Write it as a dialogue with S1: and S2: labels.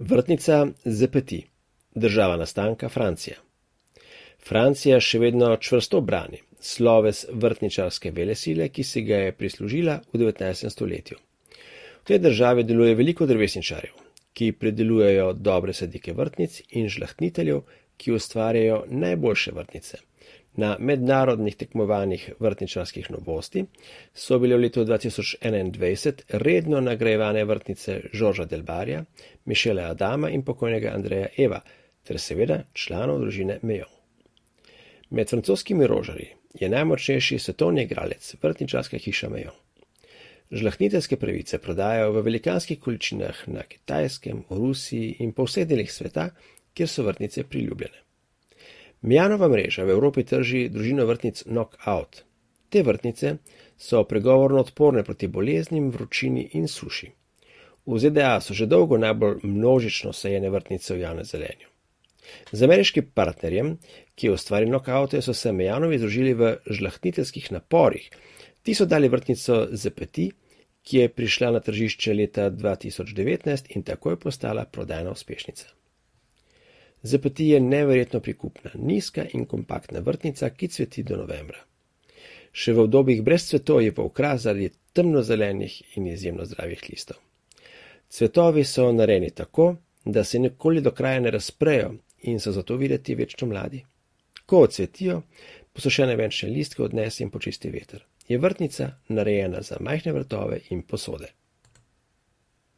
S1: Vrtnica Zepeti, država nastanka Francija. Francija še vedno čvrsto brani sloves vrtničarske velesile, ki si ga je prislužila v 19. stoletju. V tej državi deluje veliko drevesničarjev, ki pridelujejo dobre sadike vrtnic, in žlahtniteljev, ki ustvarjajo najboljše vrtnice. Na mednarodnih tekmovanjih vrtničarskih novosti so bile v letu 2021 redno nagrajevane vrtnice Žorža Delbarja, Mišela Adama in pokojnega Andreja Eva, ter seveda članov družine Mejon. Med francoskimi rožarji je najmočnejši svetovni igralec vrtničarska hiša Mejon. Žlahtniteljske pravice prodajajo v velikanskih količinah na Kitajskem, v Rusiji in po vseh delih sveta, kjer so vrtnice priljubljene. Mejonova mreža v Evropi trži družino vrtnic Knockout. Te vrtnice so pregovorno odporne proti boleznim, vročini in suši. V ZDA so že dolgo najbolj množično sajene vrtnice v javnem zelenju. Z ameriškim partnerjem, ki je ustvaril Knockoute, so se Mejonovi združili v žlahtniteljskih naporih. Ti so dali vrtnico Zepeti, ki je prišla na tržišče leta 2019 in takoj postala prodajna uspešnica. Zepeti je neverjetno prikupna, nizka in kompaktna vrtnica, ki cveti do novembra. Še v obdobjih brez cvetov je pa okras zaradi temnozelenih in izjemno zdravih listov. Cvetovi so narejeni tako, da se nikoli do kraja ne razprejo in so zato videti večno mladi. Ko odcvetijo, posušene venčne listke odnese in počisti veter. Je vrtnica narejena za majhne vrtove in posode.